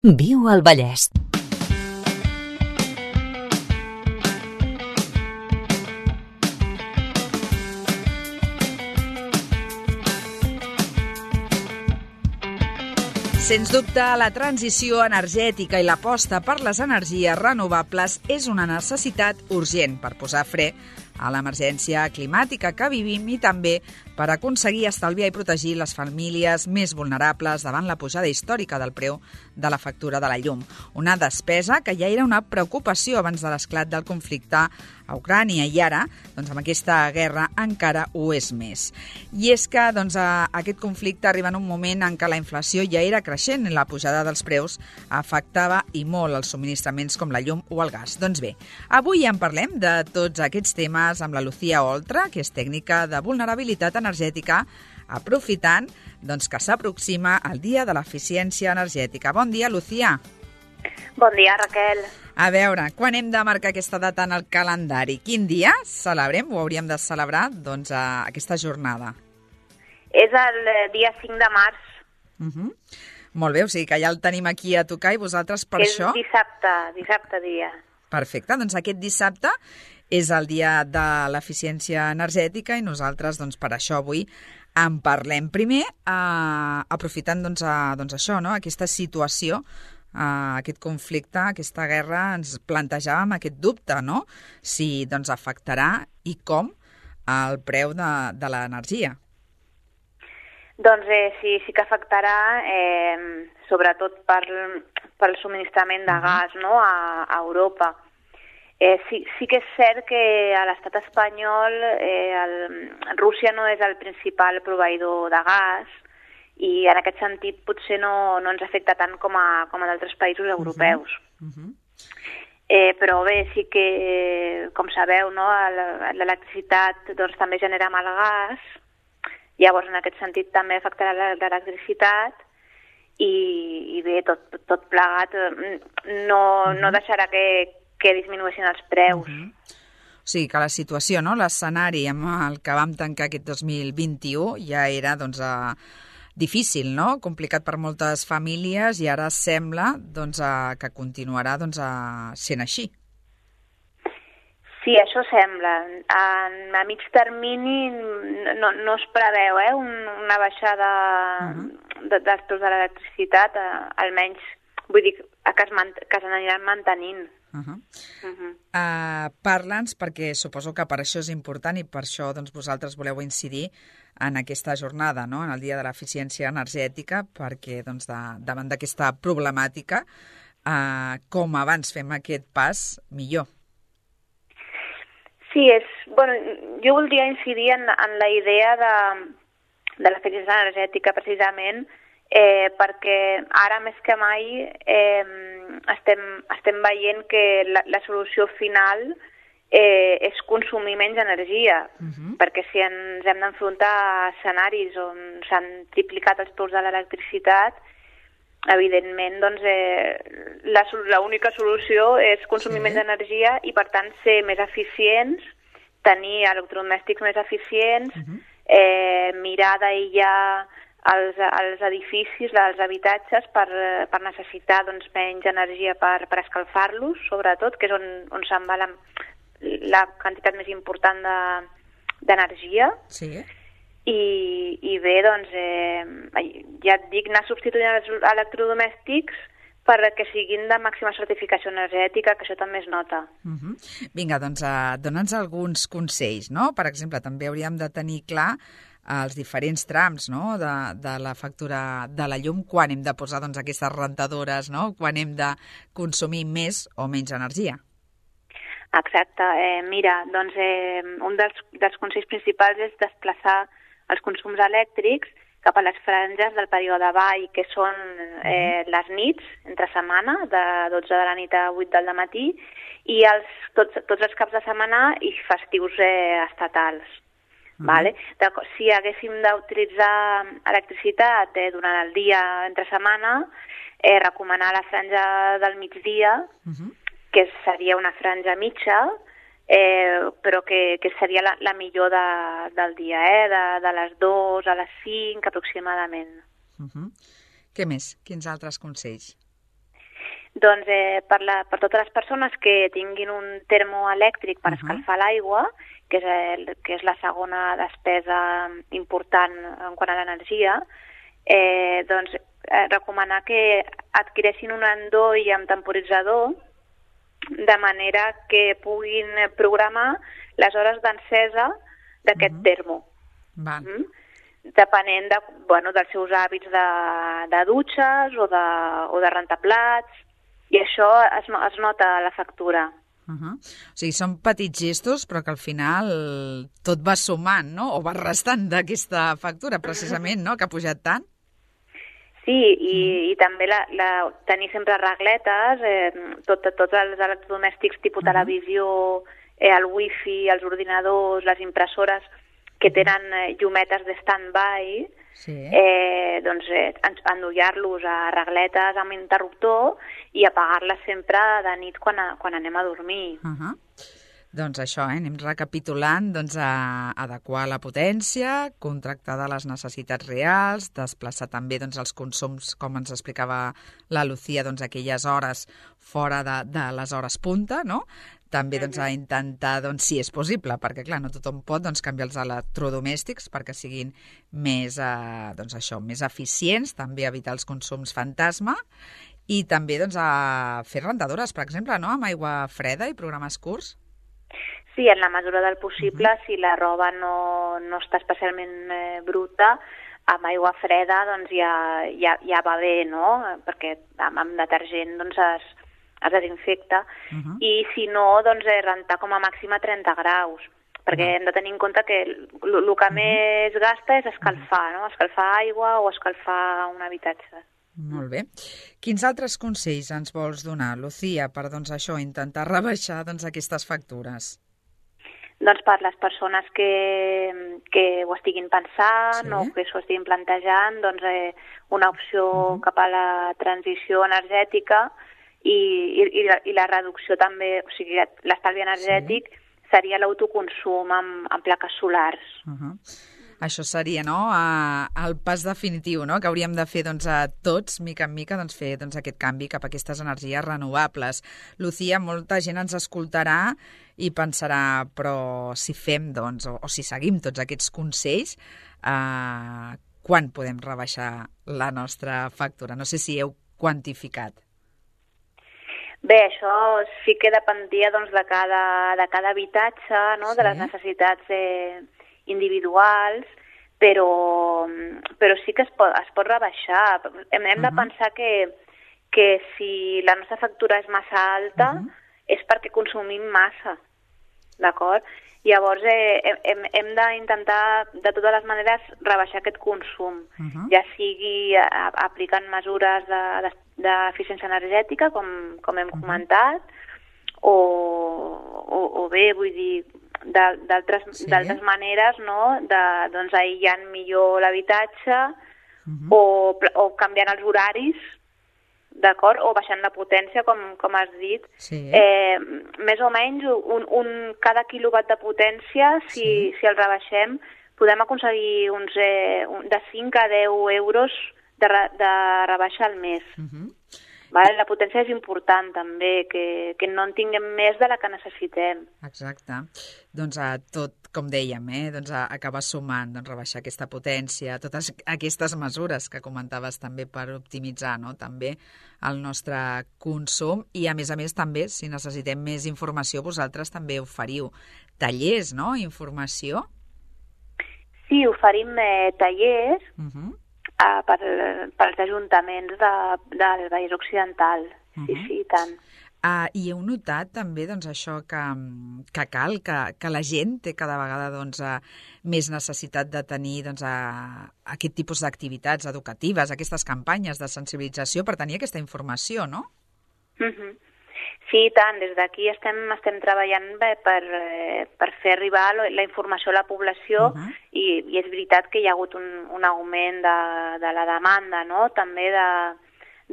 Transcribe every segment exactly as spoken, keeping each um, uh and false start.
Viu al Vallès. Sens dubte, la transició energètica i l'aposta per les energies renovables és una necessitat urgent per posar fre a l'emergència climàtica que vivim i també per aconseguir estalviar i protegir les famílies més vulnerables davant la pujada històrica del preu de la factura de la llum. Una despesa que ja era una preocupació abans de l'esclat del conflicte a Ucrània i ara, doncs, amb aquesta guerra encara ho és més. I és que doncs, a aquest conflicte arriba en un moment en què la inflació ja era creixent i la pujada dels preus afectava i molt els subministraments com la llum o el gas. Doncs bé, avui en parlem de tots aquests temes amb la Lucía Oltra, que és tècnica de vulnerabilitat energètica, aprofitant doncs, que s'aproxima el Dia de l'Eficiència Energètica. Bon dia, Lucía. Bon dia, Raquel. A veure, quan hem de marcar aquesta data en el calendari? Quin dia celebrem o hauríem de celebrar doncs, a aquesta jornada? És el dia cinc de març. Uh-huh. Molt bé, o sigui que ja el tenim aquí a tocar i vosaltres per és això... És dissabte, dissabte dia. Perfecte, doncs aquest dissabte és el dia de l'eficiència energètica i nosaltres doncs, per això avui en parlem. Primer, eh, aprofitant doncs, a, doncs això, no? aquesta situació, Uh, aquest conflicte, aquesta guerra, ens plantejàvem aquest dubte, no? Si doncs, afectarà i com el preu de, de l'energia. Doncs eh, sí, sí que afectarà, eh, sobretot per, pel subministrament de gas, no? a, a Europa. Eh, sí, sí que és cert que a l'estat espanyol eh, el, Rússia no és el principal proveïdor de gas, i en aquest sentit potser no, no ens afecta tant com a, com a d'altres països europeus. Uh -huh. Uh -huh. Eh, però bé, sí que, com sabeu, no, l'electricitat doncs, també genera amb el gas, llavors en aquest sentit també afectarà l'electricitat i, i bé, tot, tot plegat no, uh -huh. no deixarà que, que disminueixin els preus. Uh -huh. O sigui que la situació, no, l'escenari amb el que vam tancar aquest dos mil vint-i-u ja era doncs, a difícil, no? Complicat per moltes famílies i ara sembla doncs, a, que continuarà doncs, a, sent així. Sí, això sembla. A, a mig termini no, no es preveu eh, un, una baixada uh-huh. de, dels preus de l'electricitat, almenys vull dir que es, man, que s'aniran mantenint. Uh-huh. Uh-huh. Uh, Parla'ns, perquè suposo que per això és important i per això doncs, vosaltres voleu incidir en aquesta jornada, no? En el Dia de l'Eficiència Energètica, perquè doncs, de, davant d'aquesta problemàtica, uh, com abans fem aquest pas, millor. Sí, és, bueno, jo voldria incidir en, en la idea de, de l'eficiència energètica, precisament, eh, perquè ara més que mai eh, estem, estem veient que la, la solució final eh, és consumir menys energia, uh-huh. perquè si ens hem d'enfrontar a escenaris on s'han triplicat els preus de l'electricitat, evidentment doncs, eh, la, la única solució és consumir sí. menys energia i per tant ser més eficients, tenir electrodomèstics més eficients, uh-huh. eh, mirar d'aïllar als, als edificis, als habitatges per, per necessitar doncs, menys energia per, per escalfar-los, sobretot, que és on, on se'n va la, la quantitat més important d'energia. De, sí. I, i bé, doncs, eh, ja et dic, anar substituint els electrodomèstics perquè siguin de màxima certificació energètica, que això també es nota. Uh-huh. Vinga, doncs, uh, dona'ns alguns consells, no? Per exemple, també hauríem de tenir clar els diferents trams, no? de, de la factura de la llum, quan hem de posar doncs, aquestes rentadores, no? Quan hem de consumir més o menys energia. Exacte. Eh, mira, doncs eh, un dels, dels consells principals és desplaçar els consums elèctrics cap a les franges del període vall, que són eh, les nits, entre setmana, de dotze de la nit a vuit del matí, i els, tots, tots els caps de setmana i festius eh, estatals. Uh-huh. Vale? Si haguéssim d'utilitzar electricitat eh, durant el dia entre setmana, eh, recomanar la franja del migdia, uh-huh. que seria una franja mitja, eh, però que, que seria la, la millor de, del dia, eh, de, de les dues a les cinc aproximadament. Uh-huh. Què més? Quins altres consells? Doncs eh, per, la, per totes les persones que tinguin un termoelèctric per uh -huh. escalfar l'aigua, que, és el, que és la segona despesa important en quant a l'energia, eh, doncs eh, recomanar que adquireixin un endoll amb temporitzador de manera que puguin programar les hores d'encesa d'aquest uh -huh. termo. Val. Mm? Depenent de, bueno, dels seus hàbits de, de dutxes o de, o de rentaplats, i això es, es nota a la factura. Uh -huh. O sigui, són petits gestos, però que al final tot va sumant, no? O va restant d'aquesta factura, precisament, no?, que ha pujat tant. Sí, i, mm. i també la, la, tenir sempre regletes, eh, tot, tots els electrodomèstics tipus uh -huh. televisió, eh, el wifi, els ordinadors, les impressores, que tenen eh, llumetes de stand-by, sí. eh, doncs eh, endollar-los a regletes amb interruptor i apagar-les sempre de nit quan, a, quan anem a dormir. Uh -huh. Doncs això, eh, anem recapitulant, doncs, a adequar la potència, contractar de les necessitats reals, desplaçar també doncs, els consums, com ens explicava la Lucía, doncs, aquelles hores fora de, de les hores punta, no? També doncs, a intentar, doncs, si és possible, perquè clar, no tothom pot doncs, canviar els electrodomèstics perquè siguin més, eh, doncs, això, més eficients, també evitar els consums fantasma i també doncs, a fer rentadores, per exemple, no? Amb aigua freda i programes curts. Sí, en la mesura del possible, uh -huh. si la roba no, no està especialment eh, bruta, amb aigua freda doncs ja, ja, ja va bé, no? Perquè amb, amb detergent doncs es, es desinfecta. Uh -huh. I si no, doncs eh, rentar com a màxim a trenta graus, perquè uh -huh. hem de tenir en compte que el que uh -huh. més gasta és escalfar, no? Escalfar aigua o escalfar un habitatge. Molt bé. Quins altres consells ens vols donar, Lucía, per doncs, això, intentar rebaixar doncs, aquestes factures? Doncs per les persones que, que ho estiguin pensant sí. o que s'ho estiguin plantejant, doncs eh, una opció uh -huh. cap a la transició energètica i, i, i la reducció també, o sigui, l'estalvi energètic sí. seria l'autoconsum amb, amb plaques solars. Uh -huh. Això seria, no?, el pas definitiu, no?, que hauríem de fer doncs, a tots, mica en mica, doncs, fer doncs, aquest canvi cap a aquestes energies renovables. Lucía, molta gent ens escoltarà i pensarà, però si fem, doncs, o, o si seguim tots aquests consells, eh, quan podem rebaixar la nostra factura? No sé si heu quantificat. Bé, això sí que dependria doncs, de, cada, de cada habitatge, no?, sí. de les necessitats eh, individuals, però, però sí que es pot, es pot rebaixar. Hem, hem uh -huh. de pensar que, que si la nostra factura és massa alta uh -huh. és perquè consumim massa, d'acord? Llavors eh, hem, hem d'intentar de totes les maneres rebaixar aquest consum, uh -huh. ja sigui a, aplicant mesures d'eficiència de, de, energètica, com, com hem uh -huh. comentat, o, o, o bé, vull dir, d'altres sí. maneres, no?, de, doncs, aïllant millor l'habitatge uh -huh. o, o canviant els horaris, d'acord? O baixant la potència, com, com has dit. Sí. Eh, més o menys, un, un, cada quilowatt de potència, si, sí. si el rebaixem, podem aconseguir uns, eh, de cinc a deu euros de, de rebaixa al mes. Uh -huh. Vale? La potència és important també, que, que no en tinguem més de la que necessitem. Exacte. Doncs a tot, com dèiem, eh? doncs a acabar sumant, doncs rebaixar aquesta potència, totes aquestes mesures que comentaves també per optimitzar, no?, també el nostre consum i a més a més també, si necessitem més informació, vosaltres també oferiu tallers, no?, informació? Sí, oferim eh, tallers uh-huh. Uh, per, per als ajuntaments de, del Vallès Occidental. Uh-huh. Sí, sí, i tant. Uh, I heu notat també doncs, això que, que cal, que, que la gent té cada vegada doncs, uh, més necessitat de tenir doncs, uh, aquest tipus d'activitats educatives, aquestes campanyes de sensibilització per tenir aquesta informació, no? Uh-huh. Sí, i tant. Des d'aquí estem, estem treballant bé per, eh, per fer arribar la informació a la població uh-huh. i, i és veritat que hi ha hagut un, un augment de, de la demanda, no?, també de,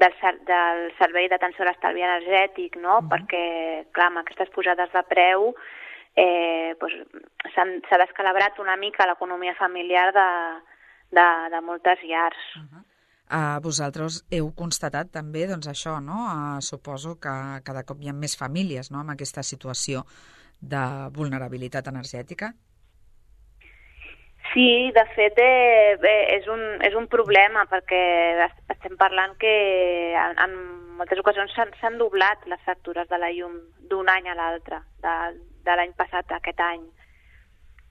del, del servei d'atenció a l'estalvi energètic, no?, uh-huh. perquè, clar, amb aquestes pujades de preu eh, doncs, s'ha descalabrat una mica l'economia familiar de, de, de moltes llars. Uh-huh. Uh, vosaltres heu constatat també doncs, això, no? Uh, suposo que cada cop hi ha més famílies, no?, amb aquesta situació de vulnerabilitat energètica. Sí, de fet eh, bé, és, un, és un problema perquè estem parlant que en, en moltes ocasions s'han doblat les factures de la llum d'un any a l'altre, de, de l'any passat a aquest any.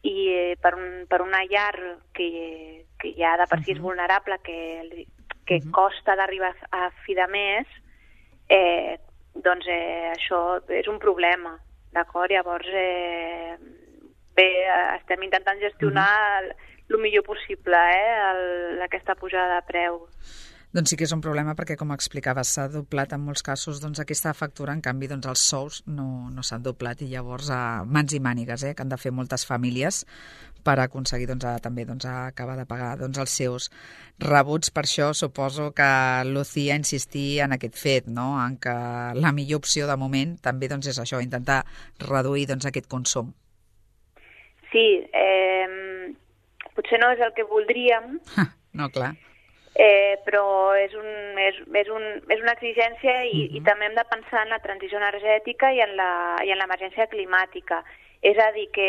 I eh, per, un, per una llar que, que ja de per si és vulnerable, que, que uh-huh. costa d'arribar a fi de mes, eh, doncs eh, això és un problema, d'acord? Llavors, eh, bé, estem intentant gestionar el, el millor possible eh, el, aquesta pujada de preu. Doncs sí que és un problema perquè, com explicaves, s'ha doblat en molts casos doncs, aquesta factura, en canvi doncs, els sous no, no s'han doblat i llavors a mans i mànigues eh, que han de fer moltes famílies per aconseguir doncs, a, també doncs, a acabar de pagar doncs, els seus rebuts. Per això suposo que Lucía insistia en aquest fet, no? En que la millor opció de moment també doncs, és això, intentar reduir doncs, aquest consum. Sí, eh, potser no és el que voldríem. No, clar. Eh, però és, un, és, és, un, és una exigència i, uh-huh. i també hem de pensar en la transició energètica i en la, i en l'emergència climàtica. És a dir, que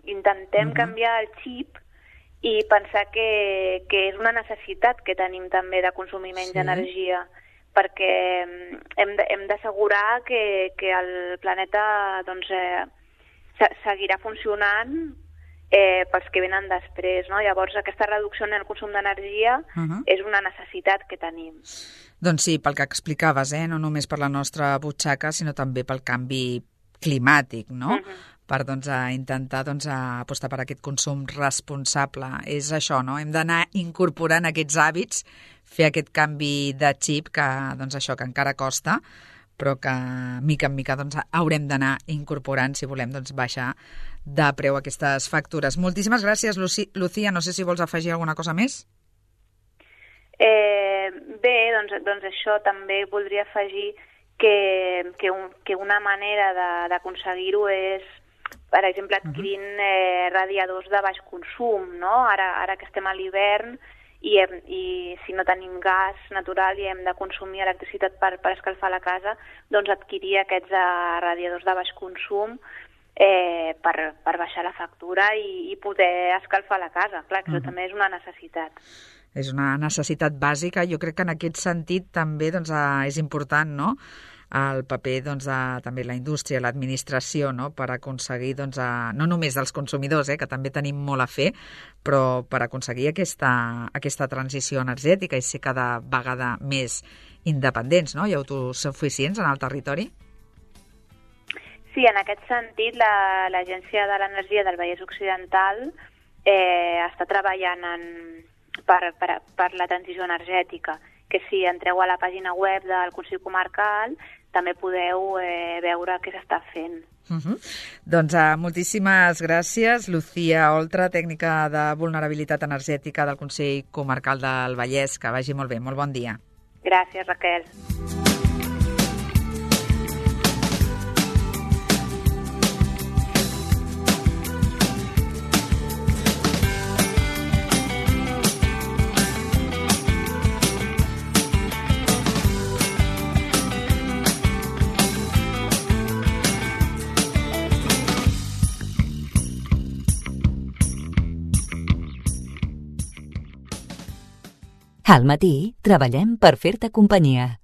intentem uh-huh. canviar el xip i pensar que, que és una necessitat que tenim també de consumir menys sí. energia, perquè hem de, hem d'assegurar que, que el planeta doncs, eh, seguirà funcionant Eh, pels que venen després, no? Llavors aquesta reducció en el consum d'energia uh-huh. és una necessitat que tenim. Doncs sí, pel que explicaves, eh? No només per la nostra butxaca, sinó també pel canvi climàtic, no? Uh-huh. Per doncs, a intentar doncs, a apostar per aquest consum responsable. És això, no? Hem d'anar incorporant aquests hàbits, fer aquest canvi de xip que, doncs, això, que encara costa, però que mica en mica doncs, haurem d'anar incorporant si volem doncs, baixar de preu aquestes factures. Moltíssimes gràcies, Luci- Lucía. No sé si vols afegir alguna cosa més. Eh, bé, doncs, doncs això també voldria afegir que, que, un, que una manera de- d'aconseguir-ho és, per exemple, adquirint eh, radiadors de baix consum, no? Ara, ara que estem a l'hivern, I, hem, i si no tenim gas natural i hem de consumir electricitat per, per escalfar la casa, doncs adquirir aquests uh, radiadors de baix consum eh, per, per baixar la factura i, i poder escalfar la casa. Clar, que això uh-huh. també és una necessitat. És una necessitat bàsica. Jo crec que en aquest sentit també doncs, uh, és important, no?, el paper doncs, de també la indústria, l'administració, no?, per aconseguir, doncs, a, no només dels consumidors, eh, que també tenim molt a fer, però per aconseguir aquesta, aquesta transició energètica i ser cada vegada més independents, no?, i autosuficients en el territori. Sí, en aquest sentit, la, l'Agència de l'Energia del Vallès Occidental eh, està treballant en, per, per, per la transició energètica, que si entreu a la pàgina web del Consell Comarcal també podeu eh, veure què s'està fent. Uh-huh. Doncs uh, moltíssimes gràcies, Lucía Oltra, tècnica de vulnerabilitat energètica del Consell Comarcal del Vallès. Que vagi molt bé, molt bon dia. Gràcies, Raquel. Al matí treballem per fer-te companyia.